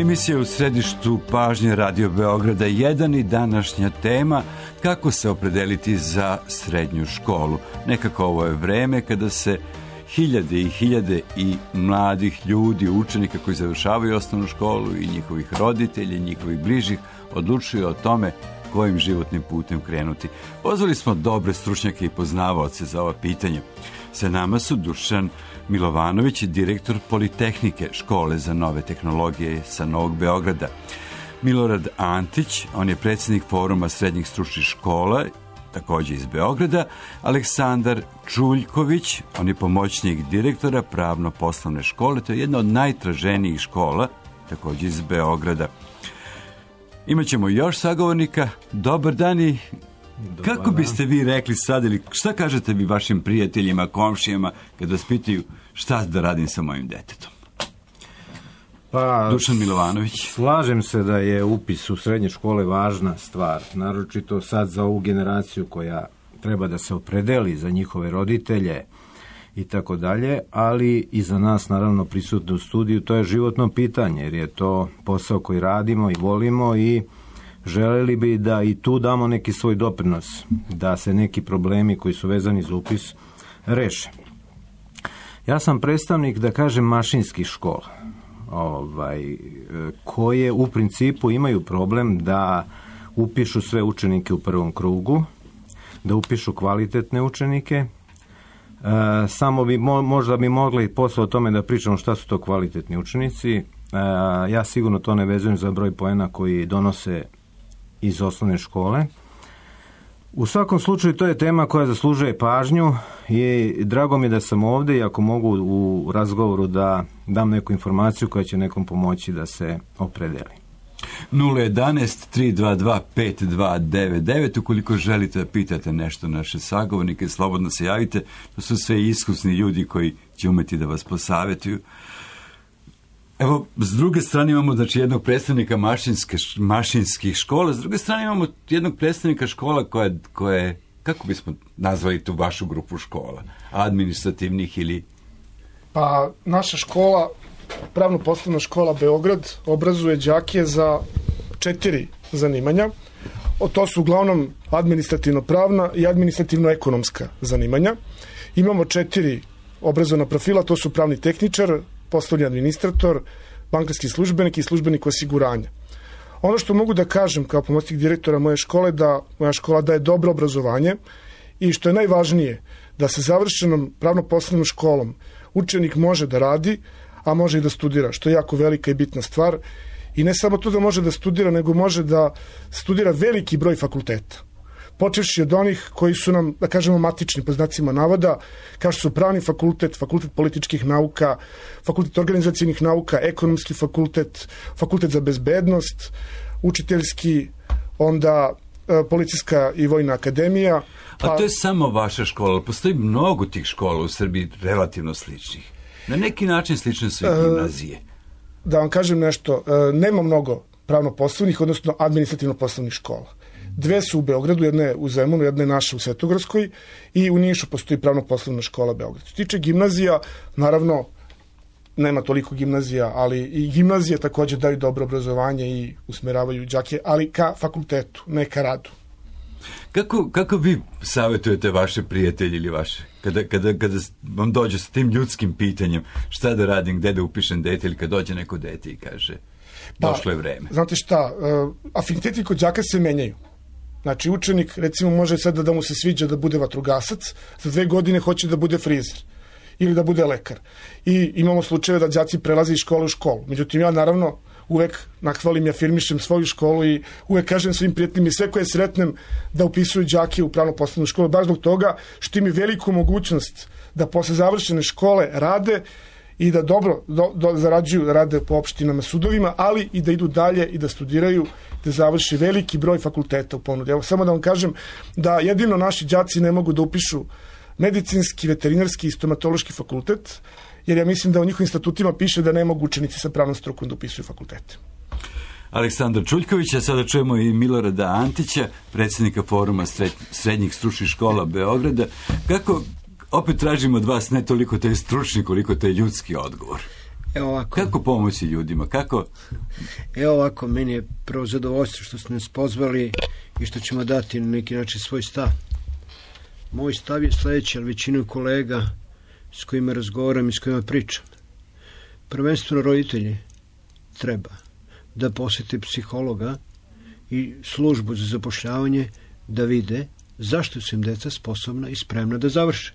Emisija u središtu pažnje Radio Beograda 1 i današnja tema kako se opredeliti za srednju školu. Nekako ovo je vreme kada se hiljade i hiljade i mladih ljudi, učenika koji završavaju osnovnu školu i njihovih roditelja i njihovih bližih odlučuju o tome kojim životnim putem krenuti. Pozvali smo dobre stručnjake i poznavaoce za ova pitanja. Sa nama su Dušan Milovanović, direktor Politehnike, škole za nove tehnologije sa Novog Beograda. Milorad Antić, on je predsjednik Foruma srednjih stručnih škola, također iz Beograda. Aleksandar Čuljković, on je pomoćnik direktora pravno-poslovne škole, to je jedna od najtraženijih škola, također iz Beograda. Imaćemo još sagovornika. Dobar dan i kako biste vi rekli sad, ili šta kažete vi vašim prijateljima, komšijama, kad vas pitaju šta da radim sa mojim detetom? Pa, Dušan Milovanović. Slažem se da je upis u srednje škole važna stvar, naročito sad za ovu generaciju koja treba da se opredeli za njihove roditelje i tako dalje, ali i za nas naravno prisutno u studiju, to je životno pitanje, jer je to posao koji radimo i volimo i želeli bi da i tu damo neki svoj doprinos, da se neki problemi koji su vezani za upis reše. Ja sam predstavnik, da kažem, mašinskih škola, koje u principu imaju problem da upišu sve učenike u prvom krugu, da upišu kvalitetne učenike. Samo bi možda bi mogli posle o tome da pričamo šta su to kvalitetni učenici. Ja sigurno to ne vezujem za broj poena koji donose iz osnovne škole. U svakom slučaju to je tema koja zaslužuje pažnju i drago mi je da sam ovdje i ako mogu u razgovoru da dam neku informaciju koja će nekom pomoći da se opredeli. 011-322-5299, ukoliko želite da pitate nešto naše sagovornike, slobodno se javite. To su sve iskusni ljudi koji će umeti da vas posavjetuju. Evo, s druge strane imamo jednog predstavnika mašinskih škola, s druge strane imamo jednog predstavnika škola koja je, kako bismo nazvali tu vašu grupu škola, administrativnih ili... Pa, naša škola, pravno-poslovna škola Beograd, obrazuje đake za 4 zanimanja. To su uglavnom administrativno-pravna i administrativno-ekonomska zanimanja. Imamo 4 obrazovna profila, to su pravni tehničar, poslovni administrator, bankarski službenik i službenik osiguranja. Ono što mogu da kažem kao pomoćnik direktora moje škole, da moja škola daje dobro obrazovanje i što je najvažnije, da sa završenom pravno-poslovnom školom učenik može da radi, a može i da studira, što je jako velika i bitna stvar. I ne samo to da može da studira, nego može da studira veliki broj fakulteta. Počevši od onih koji su nam, da kažemo, matični po znacima navoda, kao što su pravni fakultet, fakultet političkih nauka, fakultet organizacijnih nauka, ekonomski fakultet, fakultet za bezbednost, učiteljski, onda policijska i vojna akademija. A to je samo vaša škola, postoji mnogo tih škola u Srbiji relativno sličnih. Na neki način slične su i gimnazije. Da vam kažem nešto, nema mnogo pravno-poslovnih, odnosno administrativno-poslovnih škola. 2 su u Beogradu, jedna je u Zemunu, jedna je naša u Svetogorskoj i u Nišu postoji pravno-poslovna škola Beograd. Što se tiče gimnazija, naravno, nema toliko gimnazija, ali i gimnazije također daju dobro obrazovanje i usmeravaju đake, ali ka fakultetu, ne ka radu. Kako vi savjetujete vaše prijatelje ili vaše, kada vam dođe s tim ljudskim pitanjem šta da radim, gde da upišem dete, ili kad dođe neko dete i kaže došlo je vreme? Znate šta, afiniteti kod đaka se menjaju. Znači učenik recimo može sad da mu se sviđa da bude vatrogasac, za 2 godine hoće da bude frizer ili da bude lekar. I imamo slučajeve da đaci prelaze iz škole u školu. Međutim, ja naravno uvek nahvalim i afirmišem svoju školu i uvek kažem svim prijateljima i sve koje sretnem da upisuju đake u pravno-poslovnu školu, baš zbog toga što im je veliku mogućnost da posle završene škole rade i da dobro zarađuju, da rade po opštinama, sudovima, ali i da idu dalje i da studiraju, da završi veliki broj fakulteta u ponudi. Evo, samo da vam kažem da jedino naši đaci ne mogu da upišu medicinski, veterinarski i stomatološki fakultet, jer ja mislim da u njihovim statutima piše da ne mogu učenici sa pravnom strukom da upisuju fakultete. Aleksandar Čuljković, a sada čujemo i Milorada Antića, predsjednika Foruma srednjih stručnih škola Beograda. Kako, opet tražimo od vas ne toliko taj stručni koliko taj ljudski odgovor? Evo ovako. Kako pomoći ljudima? Kako? Evo ovako, meni je prvo zadovoljstvo što ste nas pozvali i što ćemo dati na neki način svoj stav. Moj stav je sledeći, ali većinu kolega s kojima razgovaram i s kojima pričam. Prvenstveno roditelji treba da posete psihologa i službu za zapošljavanje da vide zašto su im deca sposobna i spremna da završe.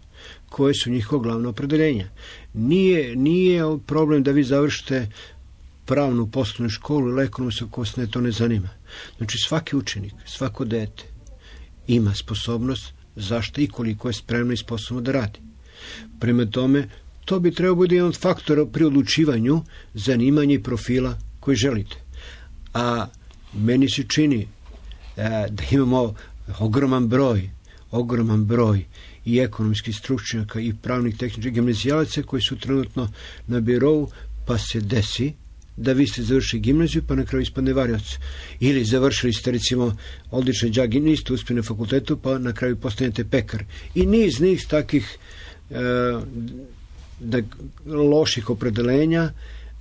Koje su njihova glavna opredeljenja. Nije problem da vi završite pravnu poslovnu školu ili ekonomsku ako vas to ne zanima. Znači svaki učenik, svako dete ima sposobnost zašto i koliko je spremno i sposobno da radi. Prema tome, to bi trebao biti jedan faktor pri odlučivanju zanimanja i profila koji želite. A meni se čini da imamo ogroman broj i ekonomskih stručnjaka i pravnih tehničkih gimnazijalaca koji su trenutno na birou, pa se desi da vi ste završili gimnaziju pa na kraju ispadne varioc. Ili završili ste recimo odličan đak i niste uspjeli na fakultetu pa na kraju postanete pekar. I niz takih loših opredelenja.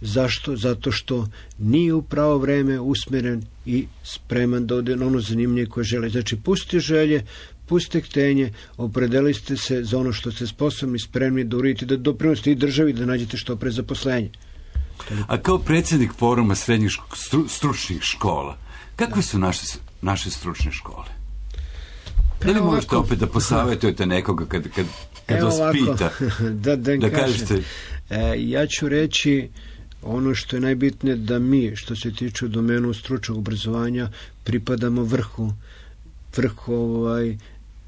Zašto? Zato što nije u pravo vreme usmeren i spreman da ode na ono zanimanje koje žele. Znači, pustite želje, pustite htenje, opredelite se za ono što ste sposobni, spremni da uradite, da doprinosite i državi da nađete što pre zaposlenje. A kao predsjednik foruma srednjih stručnih škola, kakve su naše stručne škole? Da li možete opet da posavjetujete nekoga kad vas pita? Da kažete... Ja ću reći ono što je najbitnije, da mi, što se tiče domenu stručnog obrazovanja, pripadamo vrhu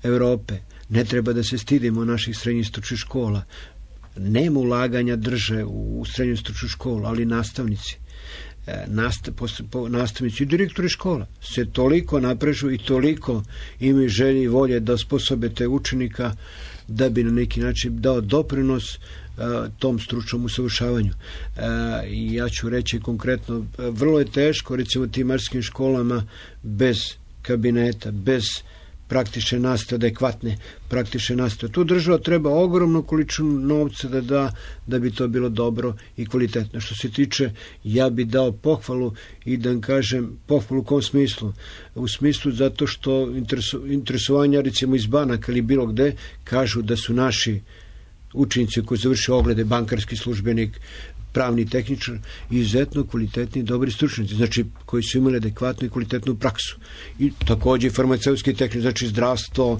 Evrope. Ne treba da se stidimo naših srednjih stručnih škola. Nema ulaganja drže u srednju stručnu školu, ali nastavnici i direktori škola se toliko naprežu i toliko imaju želje i volje da osposobe te učenika da bi na neki način dao doprinos tom stručnom usavršavanju. I ja ću reći konkretno, vrlo je teško recimo tim marskim školama bez kabineta, bez praktične nastave, adekvatne praktične nastave. Tu država treba ogromnu količinu novca da da, da bi to bilo dobro i kvalitetno. Što se tiče, ja bi dao pohvalu i da kažem, pohvalu u kom smislu? U smislu zato što interesovanja recimo iz banaka ili bilo gde kažu da su naši učenici koji završe oglede, bankarski službenik, pravni tehničar, izuzetno kvalitetni i dobri stručnjaci, znači koji su imali adekvatnu i kvalitetnu praksu. I također farmaceutski tehničar, znači zdravstvo,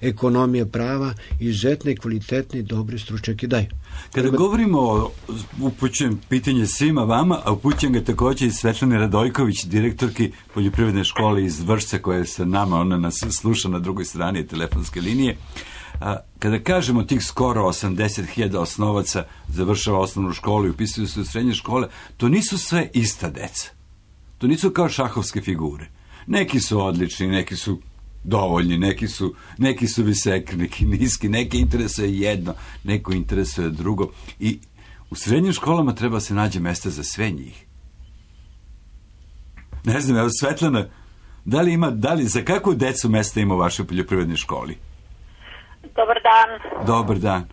ekonomija, prava, izuzetne i kvalitetni i dobri stručnjaki daju. Kada govorimo, upućujem pitanje svima vama, a upućujem ga također i Svetlane Radojković, direktorki poljoprivredne škole iz Vršca, koja je sa nama, ona nas sluša na drugoj strani telefonske linije. Kada kažemo tih skoro 80.000 osnovaca završava osnovnu školu i upisuju se u srednje škole, to nisu sve ista deca. To nisu kao šahovske figure. Neki su odlični, neki su dovoljni, neki su visoki, neki niski, neki interesuje jedno, neko interesuje drugo. I u srednjim školama treba se nađe mesta za sve njih. Ne znam, evo Svetlana, da li za kakvu decu mesta ima u vašoj poljoprivrednoj školi? Dobar dan. Dobar dan.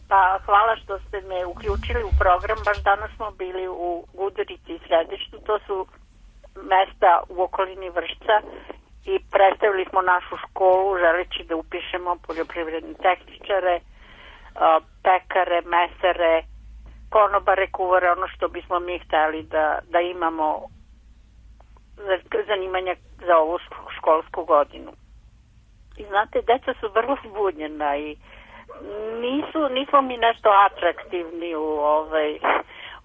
Pa hvala što ste me uključili u program. Baš danas smo bili u Gudurici i Središtu. To su mesta u okolini Vršca i predstavili smo našu školu želeći da upišemo poljoprivredne tehničare, pekare, mesare, konobare, kuvare, ono što bismo mi hteli da imamo zanimanja za ovu školsku godinu. I znate, deca su vrlo zbunjena i nismo mi nešto atraktivni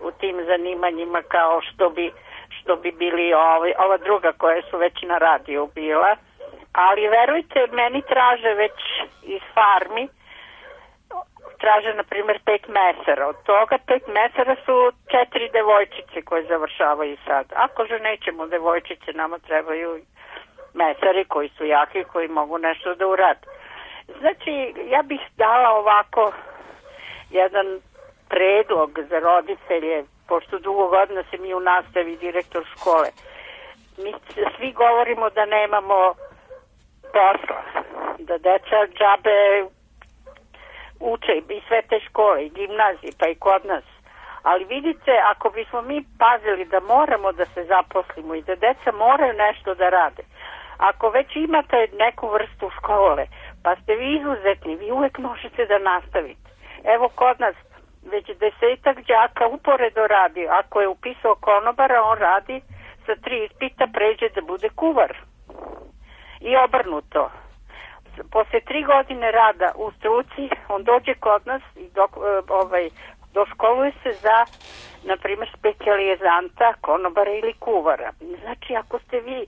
u tim zanimanjima kao što bi bili ova druga koja su već na radiju bila. Ali verujte, meni traže već iz farmi, traže na primjer 5 mesara. Od toga 5 mesara su 4 devojčice koje završavaju sad. Ako že nećemo devojčice, nama trebaju mesari koji su jaki, koji mogu nešto da urade. Znači, ja bih dala ovako jedan predlog za roditelje, pošto dugo godina sam i u nastavi direktor škole. Mi svi govorimo da nemamo posla, da deca džabe uče i sve te škole, i gimnazije, pa i kod nas. Ali vidite, ako bismo mi pazili da moramo da se zaposlimo i da deca moraju nešto da rade, ako već imate neku vrstu škole, pa ste vi izuzetni, vi uvek možete da nastavite. Evo kod nas već 10 đaka uporedo radi. Ako je upisao konobara, on radi sa 3 ispita, pređe da bude kuvar. I obrnuto. Posle 3 godine rada u struci, on dođe kod nas i doškoluje se za, na primjer, specijalizanta, konobara ili kuvara. Znači, ako ste vi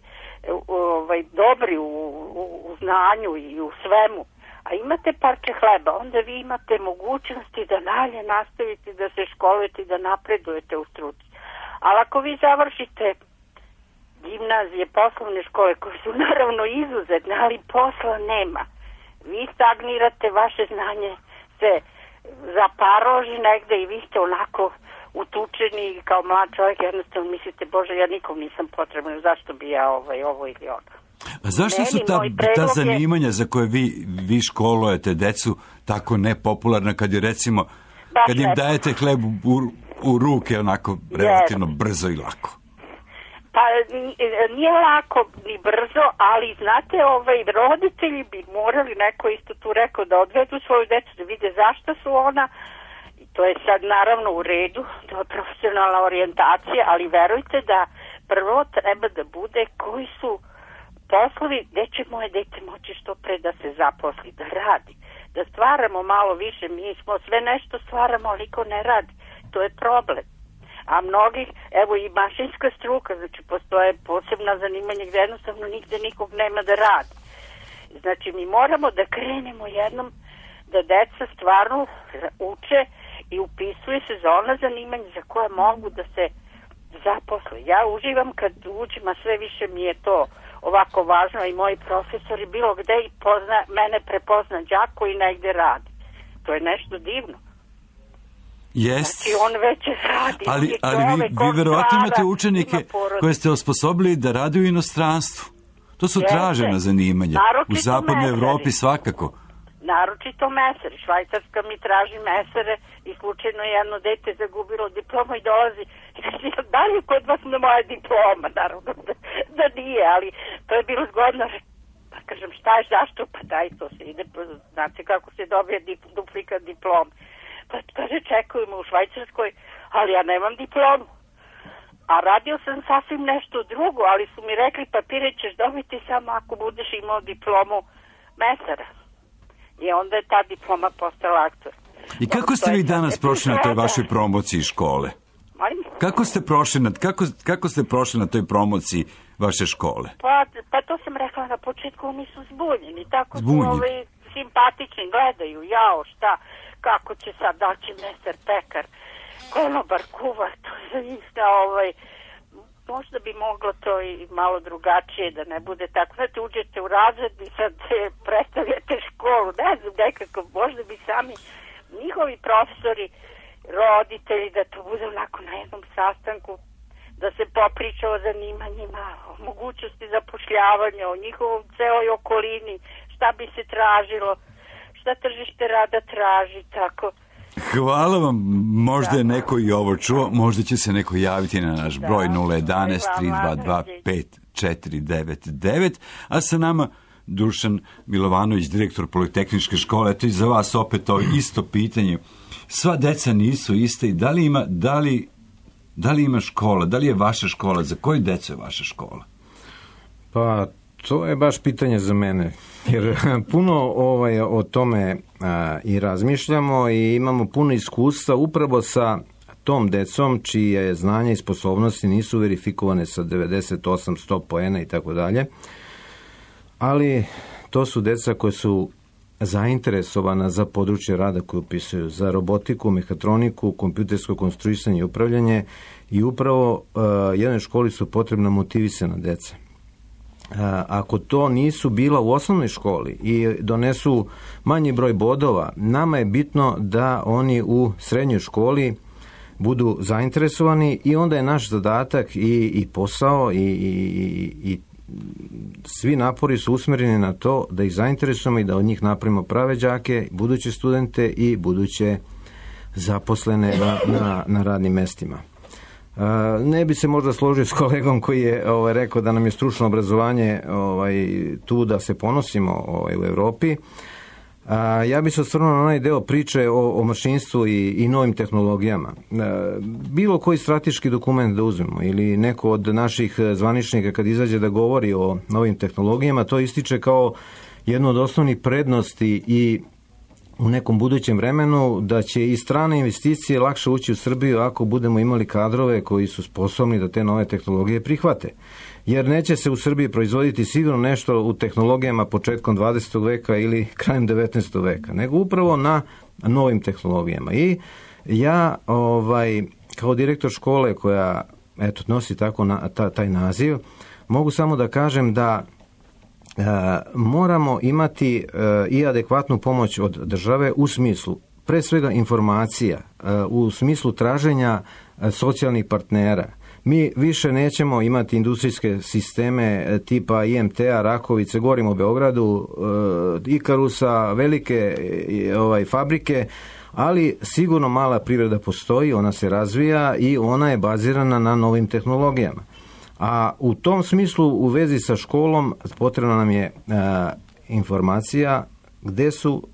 dobri u znanju i u svemu, a imate parče hleba, onda vi imate mogućnosti da dalje nastavite da se školujete i da napredujete u struci. Ali ako vi završite gimnazije, poslovne škole, koje su naravno izuzetne, ali posla nema, vi stagnirate, vaše znanje se zaparoži negde i vi ste onako utučeni kao mlad čovjek, jednostavno mislite, Bože, ja nikom nisam potreban, zašto bi ja ovo ili ono. A zašto su ta zanimanja za koje vi školujete decu tako nepopularna kad je recimo, kad im dajete hleb u ruke onako relativno brzo i lako? Pa nije lako ni brzo, ali znate, roditelji bi morali, neko isto tu rekao, da odvedu svoju decu, da vide zašto su ona, i to je sad naravno u redu, to je profesionalna orijentacija, ali verujte da prvo treba da bude koji su poslovi gde će moje dete moći što pre da se zaposli, da radi, da stvaramo malo više, mi smo sve nešto stvaramo, ali niko ne radi, to je problem. A mnogih, evo i mašinska struka, znači postoje posebna zanimanja gde jednostavno nigde nikog nema da radi. Znači mi moramo da krenemo jednom da deca stvarno uče i upisuju se za ona zanimanja za koje mogu da se zaposle. Ja uživam kad učim, a sve više mi je to ovako važno i moji profesori bilo gde i mene prepozna đak koji negde radi. To je nešto divno. Jest. Znači on već radi. Ali vi verovatno imate učenike koje ste osposobili da rade u inostranstvu. To su tražena zanimanja. U zapadnoj Evropi svakako. Naročito mesari. Švajcarska mi traži mesare i slučajno jedno dete zagubilo diplomu i dolazi. Da li je kod vas na moja diploma? Naravno da nije, ali to je bilo zgodno. Pa kažem, šta je, zašto? Pa daj, to se ide, znate kako se dobije duplikat diplom. Pa kaže, čekujemo u Švajcarskoj, ali ja nemam diplomu. A radio sam sasvim nešto drugo, ali su mi rekli, papire ćeš dobiti samo ako budeš imao diplomu mesara. I onda je ta diploma postala aktor. I kako ste vi danas prošli na toj vašoj promociji škole? Kako ste prošli na toj promociji vaše škole? Pa to sam rekla na početku, oni su zbunjeni. Tako su simpatični, gledaju, jao, šta, kako će sad, da će mesar, pekar, konobar, kuvar, to je za njih možda bi moglo to i malo drugačije da ne bude tako. Znate, uđete u razred i sad predstavljate školu, ne znam, nekako, možda bi sami njihovi profesori, roditelji, da to bude onako na jednom sastanku, da se popriča o zanimanjima, o mogućnosti zapošljavanja, o njihovom celoj okolini, šta bi se tražilo, šta tržište rada traži, tako. Hvala vam, možda je neko i ovo čuo, možda će se neko javiti na naš broj 011-322-5499, a sa nama Dušan Milovanović, direktor Politehničke škole. Eto i za vas opet ovo isto pitanje. Sva deca nisu iste i da li ima škola, da li je vaša škola, za koju decu je vaša škola? Pa to je baš pitanje za mene, jer puno o tome i razmišljamo i imamo puno iskustva upravo sa tom decom čije znanja i sposobnosti nisu verifikovane sa 98-100 poena i tako dalje, ali to su deca koje su zainteresovana za područje rada koje upisuju, za robotiku, mehatroniku, kompjutersko konstruisanje i upravljanje i upravo jednoj školi su potrebna motivisana deca. Ako to nisu bila u osnovnoj školi i donesu manji broj bodova, nama je bitno da oni u srednjoj školi budu zainteresovani i onda je naš zadatak i posao i svi napori su usmereni na to da ih zainteresujemo i da od njih napravimo prave đake, buduće studente i buduće zaposlene na radnim mestima. Ne bi se možda složio s kolegom koji je rekao da nam je stručno obrazovanje tu da se ponosimo u Evropi. Ja bih se osvrnuo na onaj deo priče o mašinstvu i novim tehnologijama. Bilo koji strateški dokument da uzmemo ili neko od naših zvaničnika kad izađe da govori o novim tehnologijama, to ističe kao jednu od osnovnih prednosti i u nekom budućem vremenu da će i strane investicije lakše ući u Srbiju ako budemo imali kadrove koji su sposobni da te nove tehnologije prihvate. Jer neće se u Srbiji proizvoditi sigurno nešto u tehnologijama početkom 20. veka ili krajem 19. veka, nego upravo na novim tehnologijama. I ja kao direktor škole koja nosi tako taj naziv, mogu samo da kažem da moramo imati i adekvatnu pomoć od države u smislu pre svega informacija, u smislu traženja socijalnih partnera. Mi više nećemo imati industrijske sisteme tipa IMT-a, Rakovice, govorimo o Beogradu, Ikarusa, velike fabrike, ali sigurno mala privreda postoji, ona se razvija i ona je bazirana na novim tehnologijama. A u tom smislu u vezi sa školom potrebna nam je informacija gde su,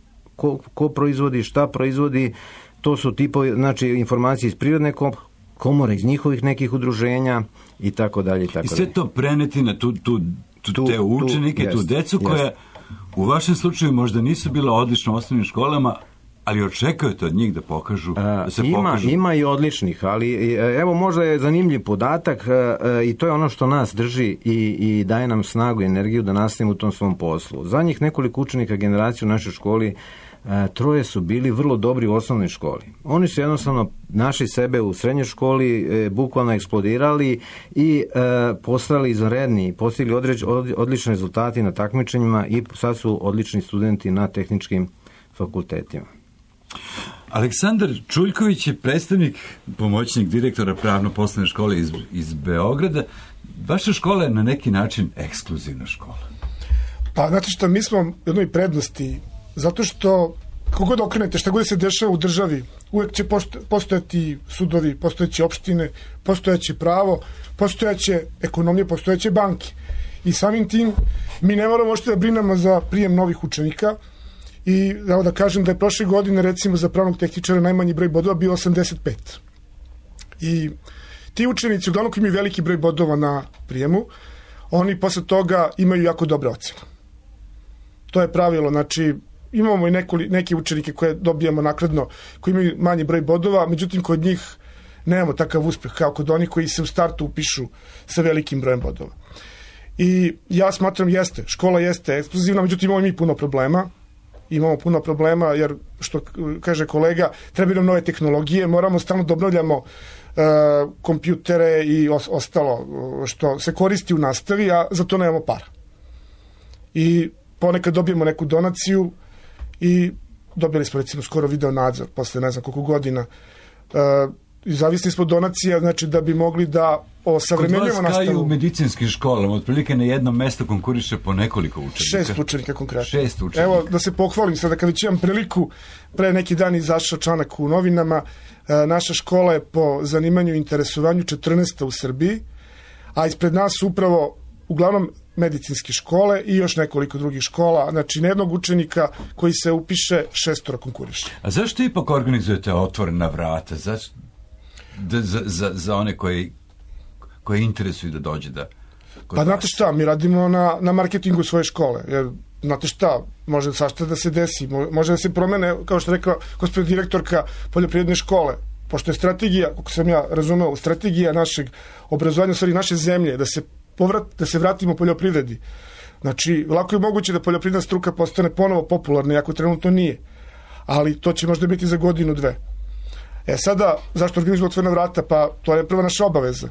ko proizvodi, šta proizvodi, to su tipovi, znači informacije iz prirodne komore, iz njihovih nekih udruženja i tako dalje. I sve to preneti na te učenike, tu decu koja u vašem slučaju možda nisu bila odlično u osnovnim školama, ali očekujete od njih da pokažu, da se pokažu. Ima i odličnih, ali evo možda je zanimljiv podatak i to je ono što nas drži i daje nam snagu i energiju da nastavimo u tom svom poslu. Zadnjih nekoliko učenika generacije u našoj školi, 3 su bili vrlo dobri u osnovnoj školi. Oni su jednostavno našli sebe u srednjoj školi, bukvalno eksplodirali i postali izvanredni, postigli odlične rezultati na takmičenjima i sad su odlični studenti na tehničkim fakultetima. Aleksandar Čuljković je predstavnik, pomoćnik direktora pravno-poslovne škole iz Beograda. Vaša škola je na neki način ekskluzivna škola. Pa, znate što, mi smo jednoj prednosti, zato što kogod okrenete, šta god se dešava u državi, uvek će postojati sudovi, postojeće opštine, postojeće pravo, postojeće ekonomije, postojeće banke. I samim tim mi ne moramo ošte da brinemo za prijem novih učenika. I evo da kažem da je prošle godine recimo za pravnog tehničara najmanji broj bodova bio 85. I ti učenici, uglavnom koji imaju veliki broj bodova na prijemu, oni posle toga imaju jako dobre ocene. To je pravilo, znači imamo i neke učenike koje dobijamo naknadno, koji imaju manji broj bodova, međutim kod njih nemamo takav uspeh kao kod onih koji se u startu upišu sa velikim brojem bodova. I ja smatram škola jeste ekskluzivna, međutim imamo mi puno problema. Imamo puno problema jer, što kaže kolega, trebaju nam nove tehnologije, moramo stalno da obnavljamo kompjutere i ostalo što se koristi u nastavi, a za to nemamo para. I ponekad dobijemo neku donaciju i dobili smo recimo skoro video nadzor posle ne znam koliko godina. Zavisni smo donacija, znači da bi mogli da osavremenjujemo nastavu. Kod vas kao i u medicinskim školama, otprilike na jednom mestu konkuriše po nekoliko učenika. 6 učenika konkretno. 6 učenika. Evo, da se pohvalim sada, kad već imam priliku, pre neki dan izašao članak u novinama, naša škola je po zanimanju i interesovanju 14. u Srbiji, a ispred nas su upravo uglavnom medicinske škole i još nekoliko drugih škola, znači na jednog učenika koji se upiše 6 konkuriše. A zašto ipak organizujete otvorena vrata? Zašto? Za one koje interesuju da dođe da... Pa znate šta, mi radimo na marketingu svoje škole, jer znate šta, može svašta da se desi, može da se promene, kao što je rekla gospođa direktorka poljoprivredne škole, pošto je strategija, kako sam ja razumeo, strategija našeg obrazovanja, u stvari naše zemlje, da se vratimo poljoprivredi. Znači, lako je moguće da poljoprivredna struka postane ponovo popularna, iako trenutno nije, ali to će možda biti za godinu, 2. Sada, zašto organizujemo otvorena vrata? Pa to je prva naša obaveza.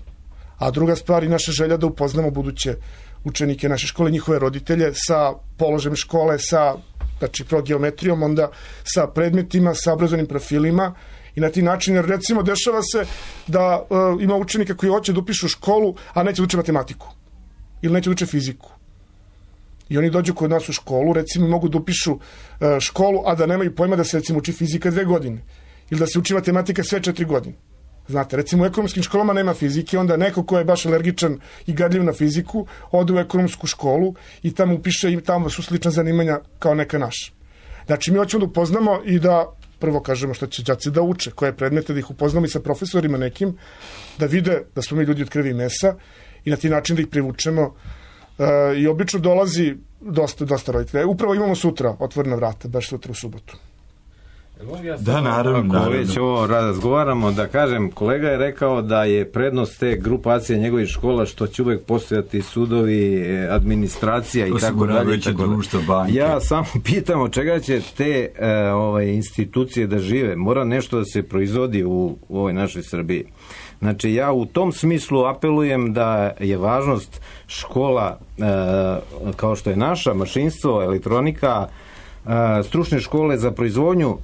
A druga stvar i naša želja da upoznamo buduće učenike naše škole, njihove roditelje sa položajem škole, znači prvo geometrijom, onda sa predmetima, sa obrazovnim profilima i na ti način, jer recimo dešava se da ima učenika koji hoće da upišu školu, a neće da uče matematiku ili neće da uče fiziku. I oni dođu kod nas u školu, recimo mogu da upišu školu, a da nemaju pojma da se recimo uči fizika 2 godine. ili da se uči matematika sve 4 godine. Znate, recimo u ekonomskim školama nema fizike, onda neko ko je baš alergičan i gadljiv na fiziku, ode u ekonomsku školu i tamo upiše i tamo su slična zanimanja kao neka naša. Znači, mi hoćemo da upoznamo i da prvo kažemo što će đaci da uče, koje predmete, da ih upoznamo i sa profesorima nekim, da vide da smo mi ljudi od krvi i mesa i na ti način da ih privučemo. I obično dolazi dosta roditelja. Upravo imamo sutra otvorena vrata, baš sutra u subotu. Da, naravno. Ako već ovo razgovaramo, da kažem, kolega je rekao da je prednost te grupacije njegovih škola što će uvek postojati sudovi, administracija i tako dalje. Ja samo pitam od čega će te institucije da žive. Mora nešto da se proizvodi u ovoj našoj Srbiji. Znači, ja u tom smislu apelujem da je važnost škola kao što je naša, mašinstvo, elektronika, stručne škole za proizvodnju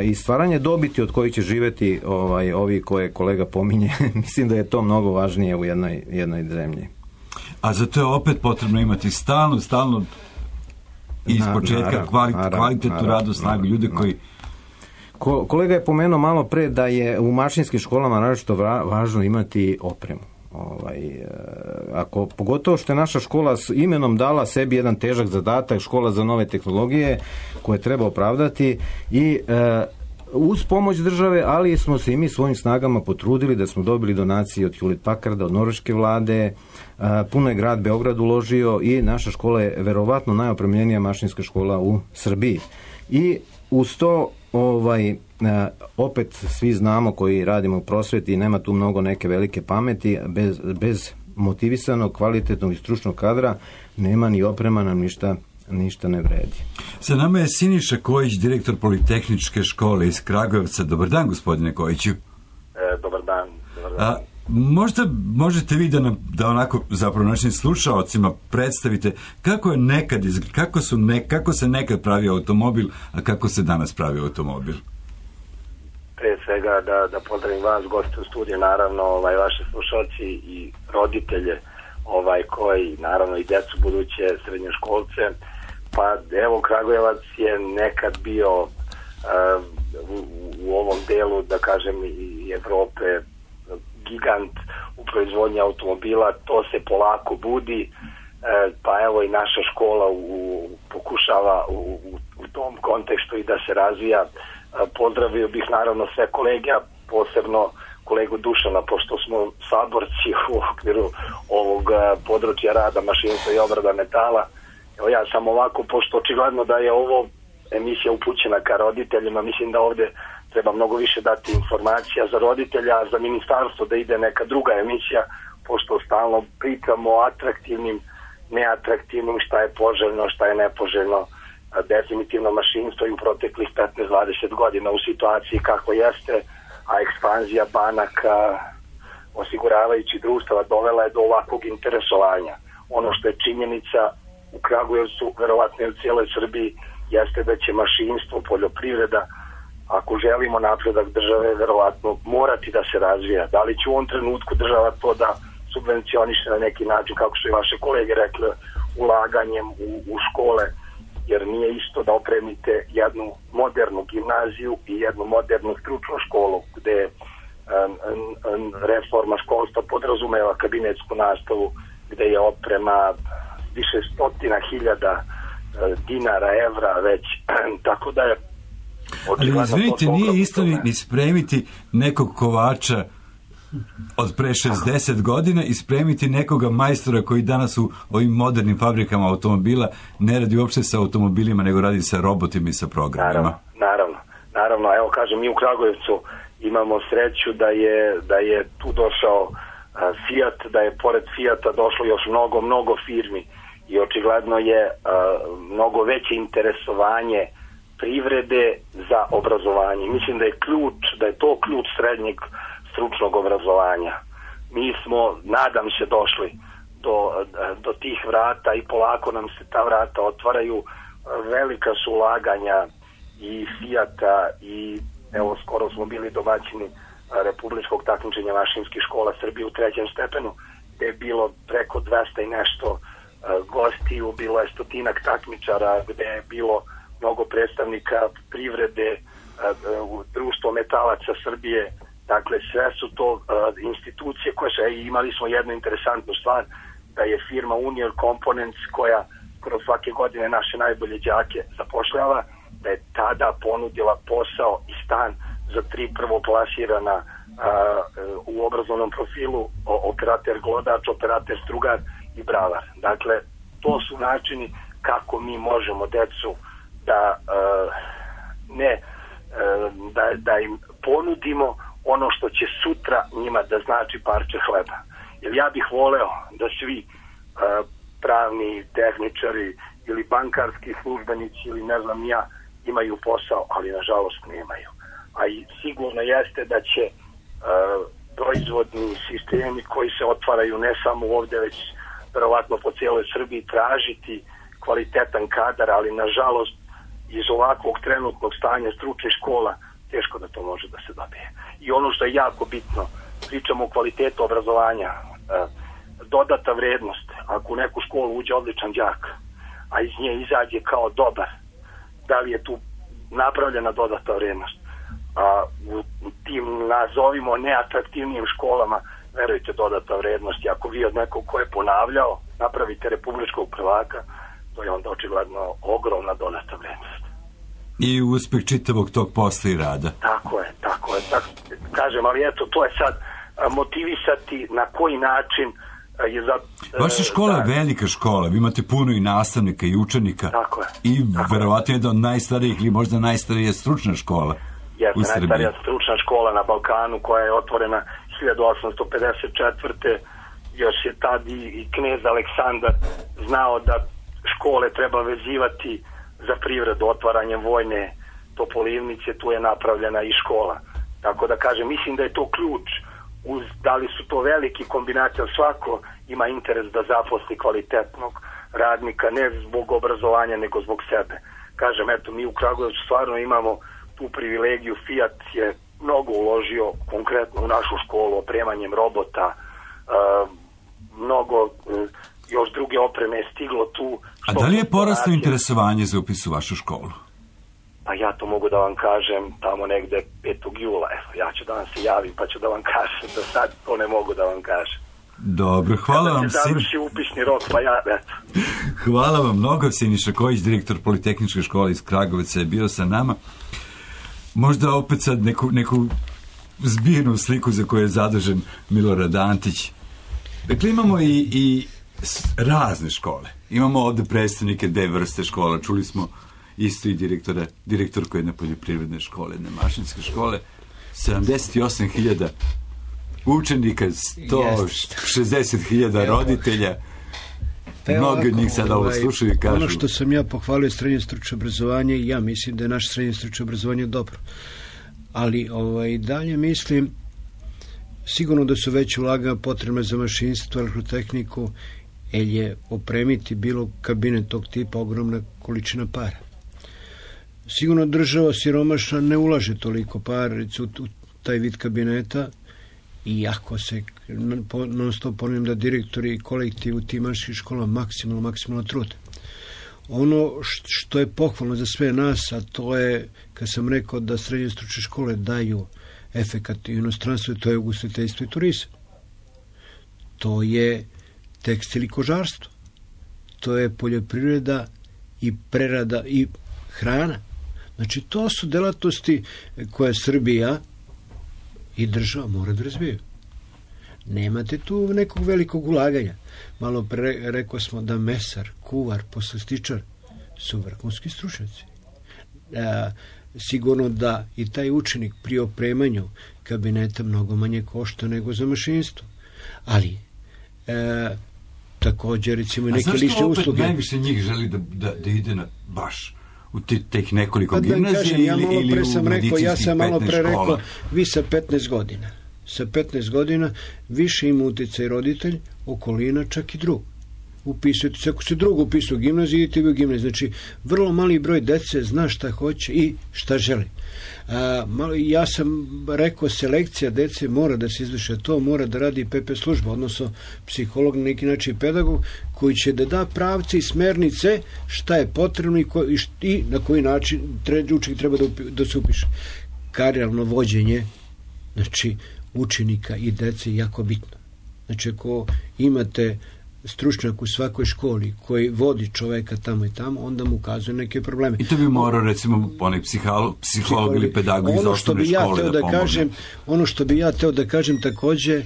i stvaranje dobiti od kojih će živeti ovi koje kolega pominje. Mislim da je to mnogo važnije u jednoj zemlji. A za to je opet potrebno imati stalno iz početka kvalitetnu radnu snagu, ljude koji... Kolega je pomenuo malo pre da je u mašinskim školama naročito važno imati opremu. Pogotovo što je naša škola s imenom dala sebi jedan težak zadatak, škola za nove tehnologije koje treba opravdati i uz pomoć države, ali smo se i mi svojim snagama potrudili da smo dobili donacije od Hewlett Packarda, od norveške vlade, puno je grad Beograd uložio i naša škola je verovatno najopremljenija mašinska škola u Srbiji. I uz to opet svi znamo koji radimo u prosveti, nema tu mnogo neke velike pameti, bez motivisanog, kvalitetnog i stručnog kadra nema ni oprema, nam ništa ne vredi. Sa nama je Siniša Kojić, direktor Politehničke škole iz Kragujevca. Dobar dan, gospodine Kojiću. Dobar dan. Možda možete vi da onako zapravo našim slušaocima predstavite kako se nekad pravio automobil, a kako se danas pravi automobil. Pre svega da pozdravim vas, goste u studiju, naravno vaše slušaoci i roditelje koji naravno i decu buduće srednjoškolce. Pa evo, Kragujevac je nekad bio u ovom delu, da kažem, i Evrope gigant u proizvodnji automobila. To se polako budi, pa evo i naša škola pokušava u tom kontekstu i da se razvija. Pozdravio bih naravno sve kolege, a posebno kolegu Dušana, pošto smo saborci u okviru ovog područja rada, mašinstva i obrada metala. Evo ja sam ovako, pošto očigledno da je ovo emisija upućena ka roditeljima, mislim da ovde treba mnogo više dati informacija za roditelja, a za ministarstvo da ide neka druga emisija, pošto stalno pričamo o atraktivnim, neatraktivnim, šta je poželjno, šta je nepoželjno. Definitivno mašinstvo i u proteklih 15-20 godina u situaciji kako jeste, a ekspanzija banaka, osiguravajući društava dovela je do ovakvog interesovanja. Ono što je činjenica u Kragujevcu, verovatno i u cijeloj Srbiji, jeste da će mašinstvo, poljoprivreda, ako želimo napredak države, verovatno morati da se razvija. Da li će u ovom trenutku država to da subvencioniše na neki način, kako su i vaše kolege rekli, ulaganjem u škole, jer nije isto da opremite jednu modernu gimnaziju i jednu modernu stručnu školu, gde reforma školstva podrazumeva kabinetsku nastavu, gde je oprema više stotina hiljada dinara, evra već, tako da je ali izvinite, nije isto ni spremiti nekog kovača od pre 60 godina i spremiti nekoga majstora koji danas u ovim modernim fabrikama automobila ne radi uopšte sa automobilima, nego radi sa robotima i sa programima. Naravno, evo kažem, mi u Kragujevcu imamo sreću da je tu došao Fiat, da je pored Fiata došlo još mnogo firmi i očigledno je mnogo veće interesovanje privrede za obrazovanje. Mislim da je to ključ srednjeg stručnog obrazovanja. Mi smo, nadam se, došli do tih vrata i polako nam se ta vrata otvaraju. Velika su ulaganja i Fijata i evo skoro smo bili domaćini republičkog takmičenja mašinskih škola Srbije u 3. stepenu, gde je bilo preko 200 i nešto gostiju, bilo je 100-ak takmičara, gde je bilo mnogo predstavnika privrede, Društvo metalaca Srbije, dakle sve su to institucije koje su, imali smo jednu interesantnu stvar, da je firma Union Components koja kroz svake godine naše najbolje đake zapošljava, da je tada ponudila posao i stan za 3 prvoplasirana u obrazovnom profilu, operater glodač, operater strugar i bravar. Dakle, to su načini kako mi možemo decu da im ponudimo ono što će sutra njima da znači parče hleba. Jer ja bih voleo da svi pravni tehničari ili bankarski službenici ili ne znam ja imaju posao, ali nažalost nemaju. A i sigurno jeste da će proizvodni sistemi koji se otvaraju ne samo ovdje, već verovatno po cijeloj Srbiji tražiti kvalitetan kadar, ali nažalost iz ovakvog trenutnog stanja stručnih škola teško da to može da se dobije. I ono što je jako bitno, pričamo o kvalitetu obrazovanja, dodata vrednost. Ako u neku školu uđe odličan đak, a iz nje izađe kao dobar, da li je tu napravljena dodata vrednost? A u tim nazovimo neatraktivnijim školama, verujte, dodata vrednost. Ako vi od nekog ko je ponavljao napravite republičkog prvaka, to je onda očigledno ogromna dodata vrednost. I uspeh čitavog tog posla i rada. Tako je. Kažem, ali eto, to je sad motivisati na koji način je za... Vaša škola je velika škola, vi imate puno i nastavnika i učenika. Tako je. I verovatno jedna od najstarijih ili možda najstarija stručna škola u Srbiji. Najstarija stručna škola na Balkanu koja je otvorena 1854. Još je tad i knez Aleksandar znao da škole treba vezivati za privredu otvaranjem vojne topolivnice, tu je napravljena i škola. Tako da kažem, mislim da je to ključ. Da li su to veliki kombinacije, svako ima interes da zaposli kvalitetnog radnika, ne zbog obrazovanja, nego zbog sebe. Kažem, eto, mi u Kragujevcu stvarno imamo tu privilegiju. Fiat je mnogo uložio konkretno u našu školu, opremanjem robota, mnogo još druge opreme je stiglo tu. A da li je poraslo interesovanje za upis u vašu školu? Pa ja to mogu da vam kažem tamo negde 5. jula. Evo, ja ću da vam se javim pa ću da vam kažem. Do sad to ne mogu da vam kažem. Dobro, hvala vam. Kada se završi upisni rok, pa ja, eto. Hvala vam mnogo, Siniša Kojić, direktor Politehničke škole iz Kragujevca, je bio sa nama. Možda opet sad neku zbijenu sliku za koju je zadužen Milorad Antić. Dakle, imamo i razne škole. Imamo ovde predstavnike 2 vrste škola. Čuli smo isto i direktorku jedne poljoprivredne škole, jedne mašinske škole. 78.000 učenika, 160.000 roditelja. Mnogi od njih sada ovo slušaju i kažu... Ono što sam ja pohvalio srednje stručno obrazovanje, ja mislim da je naše srednje stručno obrazovanje dobro. Ali dalje mislim, sigurno da su već ulaganja potrebne za mašinstvo, elektrotehniku, jer je opremiti bilo kabinet tog tipa ogromna količina para. Sigurno država siromašna ne ulaže toliko para u taj vid kabineta, iako se non stop ponavljam da direktori i kolektiv u tim mašinskih školama maksimalno trude. Ono što je pohvalno za sve nas, a to je, kad sam rekao da srednje stručne škole daju efekat i inostranstvu, to je ugostiteljstvo i turizam. To je tekstil i kožarstvo. To je poljoprivreda i prerada i hrana. Znači, to su delatnosti koje Srbija i država mora da razvijaju. Nemate tu nekog velikog ulaganja. Malo pre rekao smo da mesar, kuvar, poslastičar su vrhunski stručnjaci. Sigurno da i taj učenik pri opremanju kabineta mnogo manje košta nego za mašinstvo. Ali također recimo i neke lične usluge. A zašto opet najviše njih želi da ide na baš u tih nekoliko gimnazija ili u medicinskih 15 škola? Ja sam malo pre rekao, vi sa 15 godina više ima utjecaj roditelj, okolina, čak i drug. upisujete, ako ste drugo upisao u gimnaziju, idete u gimnaziju. Znači, vrlo mali broj dece zna šta hoće i šta želi. Ja sam rekao, selekcija dece mora da se izvrše, to mora da radi PP služba, odnosno psiholog, na neki način pedagog, koji će da da pravce i smernice šta je potrebno i na koji način učenik treba da se upiše. Karijerno vođenje, znači, učenika i dece je jako bitno. Znači, ako imate stručnjak u svakoj školi koji vodi čoveka tamo i tamo, onda mu ukazuje neke probleme. I to bi morao, recimo, onaj psiholog ili pedagog iz osnovne škole da pomogne. Ono što bi ja teo da kažem takođe,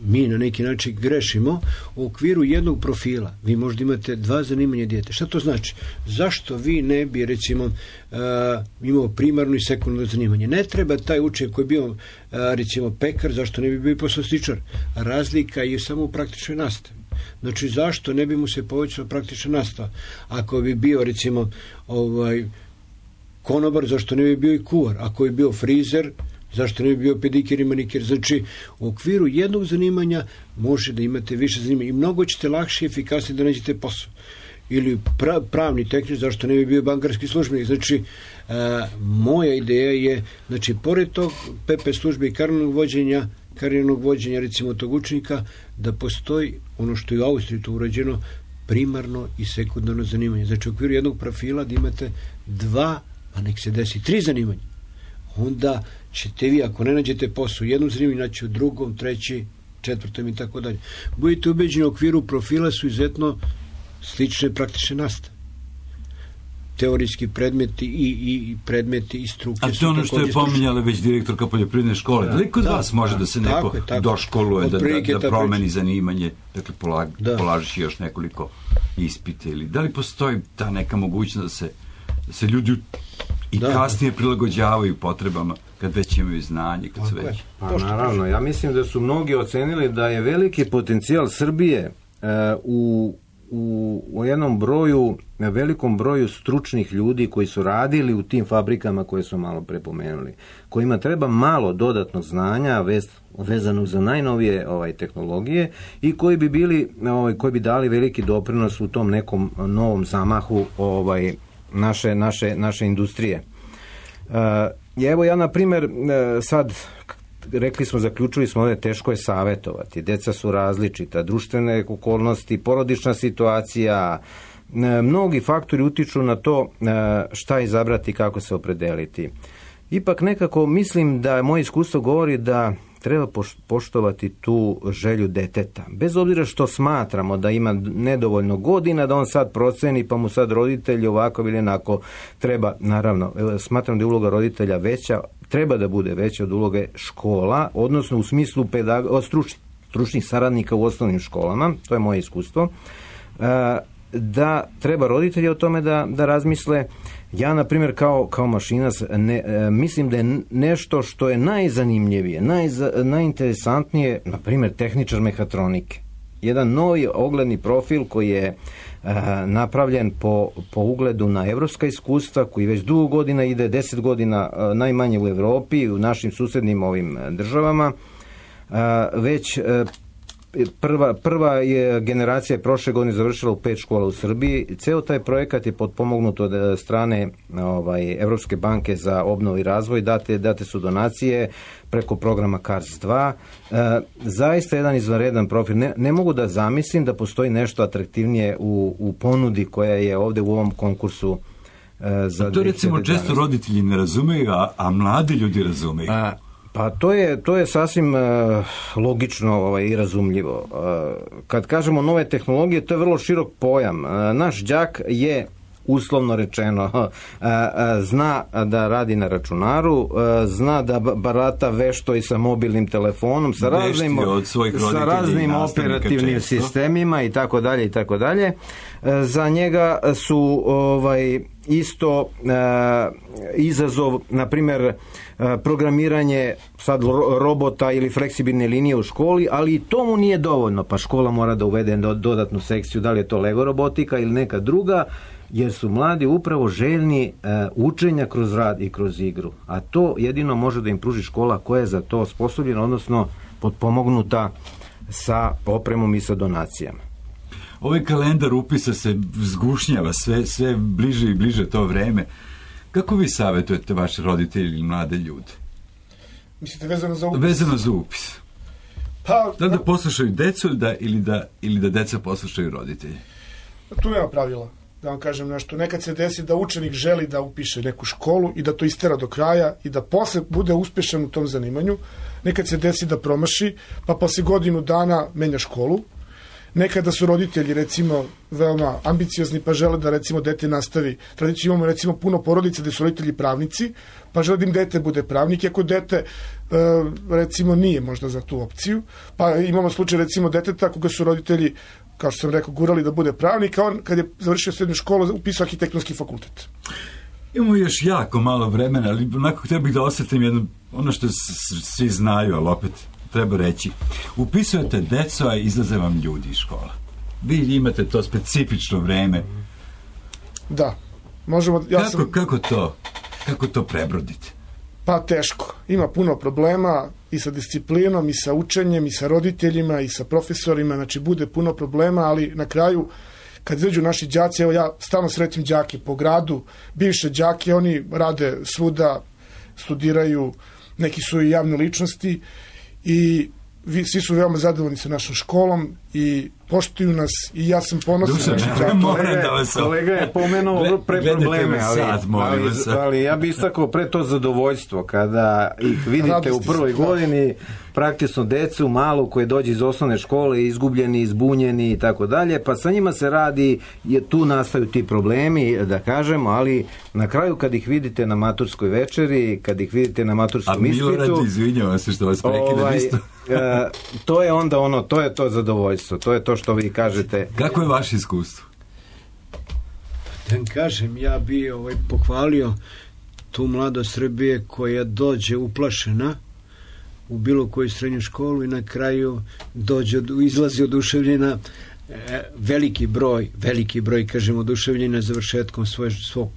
mi na neki način grešimo u okviru jednog profila. Vi možda imate 2 zanimanja djete. Šta to znači? Zašto vi ne bi, recimo, imao primarno i sekundarno zanimanje? Ne treba taj učenik koji je bio, recimo, pekar, zašto ne bi bio poslastičar? Razlika je samo u praktičnoj nastavi. Znači, zašto ne bi mu se povećala praktična nastava? Ako bi bio, recimo, konobar, zašto ne bi bio i kuvar? Ako bi bio frizer, zašto ne bi bio pedikir i manikir? Znači, u okviru jednog zanimanja može da imate više zanimanja i mnogo ćete lakše i efikasnije da nađete posao. Ili pravni tehničar, zašto ne bi bio bankarski službenik? Znači, moja ideja je, znači, pored tog PP službe i karijernog vođenja, recimo, tog učenika, da postoji ono što je u Austriji to urađeno, primarno i sekundarno zanimanje. Znači, u okviru jednog profila da imate 2, a nek se desi 3 zanimanja. Onda ćete vi, ako ne nađete posao u jednom zanimanju, naći u drugom, 3., 4. i tako dalje. Budite ubeđeni, u okviru profila su izuzetno slične praktične nastave. Teorijski predmeti i predmeti i struke. A to ono što je pominjala već direktorka poljoprivredne škole. Da li kod vas može da se neko doškoluje, da promeni zanimanje, dakle polažiš još nekoliko ispita, ili da li postoji ta neka mogućnost da se ljudi i kasnije prilagođavaju potrebama kad već imaju znanje, kad su već... Pa naravno, ja mislim da su mnogi ocenili da je veliki potencijal Srbije u jednom velikom broju stručnih ljudi koji su radili u tim fabrikama koje su malo prepomenuli, kojima treba malo dodatnog znanja vezanog za najnovije tehnologije i koji bi dali veliki doprinos u tom nekom novom zamahu naše industrije. Evo ja, na primjer, sad zaključili smo ovdje, teško je savjetovati, deca su različita, društvene okolnosti, porodična situacija, mnogi faktori utiču na to šta izabrati, kako se opredeliti. Ipak nekako mislim da moje iskustvo govori da treba poštovati tu želju deteta. Bez obzira što smatramo da ima nedovoljno godina, da on sad proceni, pa mu sad roditelji ovako ili onako treba, naravno, smatram da je uloga roditelja veća, treba da bude veća od uloge škola, odnosno u smislu stručnih saradnika u osnovnim školama, to je moje iskustvo, da treba roditelji o tome da razmisle. Ja, na primjer, kao mašinac, mislim da je nešto što je najzanimljivije, najinteresantnije, na primjer, tehničar mehatronike. Jedan novi ogledni profil koji je napravljen po ugledu na evropska iskustva, koji već dugo godina ide, 10 godina najmanje u Evropi, u našim susednim ovim državama. Već prva je generacija prošle godine završila u 5 škola u Srbiji. Ceo taj projekat je potpomognut od strane Evropske banke za obnovu i razvoj. Date su donacije preko programa CARS 2. Zaista jedan izvanredan profil. Ne mogu da zamislim da postoji nešto atraktivnije u ponudi koja je ovdje u ovom konkursu za 2011. To recimo često roditelji ne razumeju, a mladi ljudi razumeju. Pa to je sasvim logično i razumljivo. Kad kažemo nove tehnologije, to je vrlo širok pojam. Naš đak je, uslovno rečeno, zna da radi na računaru, zna da barata vešto i sa mobilnim telefonom, sa raznim operativnim sistemima i tako dalje. Za njega su isto izazov, na primjer, programiranje sad robota ili fleksibilne linije u školi, ali i to mu nije dovoljno, pa škola mora da uvede dodatnu sekciju, da li je to Lego robotika ili neka druga, jer su mladi upravo željni učenja kroz rad i kroz igru. A to jedino može da im pruži škola koja je za to osposobljena, odnosno potpomognuta sa opremom i sa donacijama. Ovaj kalendar upisa se zgušnjava, sve bliže i bliže to vreme. Kako vi savjetujete vaše roditelji ili mlade ljude? Mislite vezano za upis? Vezano za upis. Pa, da poslušaju decu ili da deca poslušaju roditelje? Tu nema pravila, da vam kažem nešto. Nekad se desi da učenik želi da upiše neku školu i da to istera do kraja i da posle bude uspešan u tom zanimanju. Nekad se desi da promaši, pa posle godinu dana menja školu. Nekada su roditelji, recimo, veoma ambiciozni, pa žele da, recimo, dete nastavi. Tradiciju imamo, recimo, puno porodica gde su roditelji pravnici, pa žele da im dete bude pravnik, iako dete, recimo, nije možda za tu opciju. Pa imamo slučaj, recimo, deteta koga su roditelji, kao što sam rekao, gurali da bude pravnik, a on, kad je završio srednju školu, upisao arhitektonski fakultet. Imamo još jako malo vremena, ali onako htio bih da osjetim jedno, ono što svi znaju, ali opet treba reći. Upisujete deco, a izlaze vam ljudi iz škola. Vi imate to specifično vreme. Da. Možemo, Kako to prebrodite? Pa teško. Ima puno problema i sa disciplinom, i sa učenjem, i sa roditeljima, i sa profesorima. Znači, bude puno problema, ali na kraju, kad izađu naši đaci, evo ja stalno sretim đake po gradu, bivše đake, oni rade svuda, studiraju, neki su i javne ličnosti i svi su veoma zadovoljni sa našom školom i poštuju nas i ja sam ponosan. Kolega je pomenuo pre probleme, ali ja bih istakao pre to zadovoljstvo kada ih vidite u prvoj godini, praktično decu malu koje dođe iz osnovne škole, izgubljeni, izbunjeni i tako dalje, pa sa njima se radi, tu nastaju ti problemi, da kažemo, ali na kraju kad ih vidite na maturskoj večeri, kad ih vidite na maturskom ispitu... A Milorad, izvinjavam se što vas prekidam isto. To je onda ono, to je to zadovoljstvo, to je to što vi kažete. Kako je vaše iskustvo? Da kažem, ja bi pohvalio tu mladost Srbije koja dođe uplašena u bilo koju srednju školu i na kraju izlazi oduševljena, veliki broj, kažem, oduševljena završetkom svog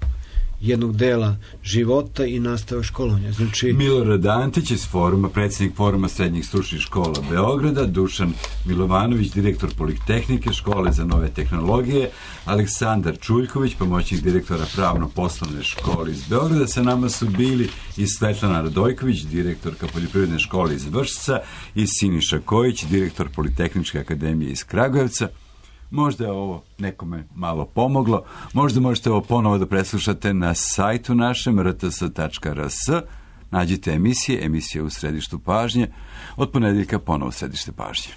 jednog dela života i nastava školovanja. Znači, Milorad Antić iz foruma, predsjednik foruma srednjih stručnih škola Beograda, Dušan Milovanović, direktor Politehnike, škole za nove tehnologije, Aleksandar Čuljković, pomoćnik direktora pravno-poslovne škole iz Beograda. Sa nama su bili i Svetlana Radojković, direktorka poljoprivredne škole iz Vršca, i Siniša Kojić, direktor Politehničke akademije iz Kragujevca. Možda je ovo nekome malo pomoglo, možda možete ovo ponovo da preslušate na sajtu našem rts.rs. Nađite emisije u središtu pažnje, od ponedeljka ponovo središte pažnje.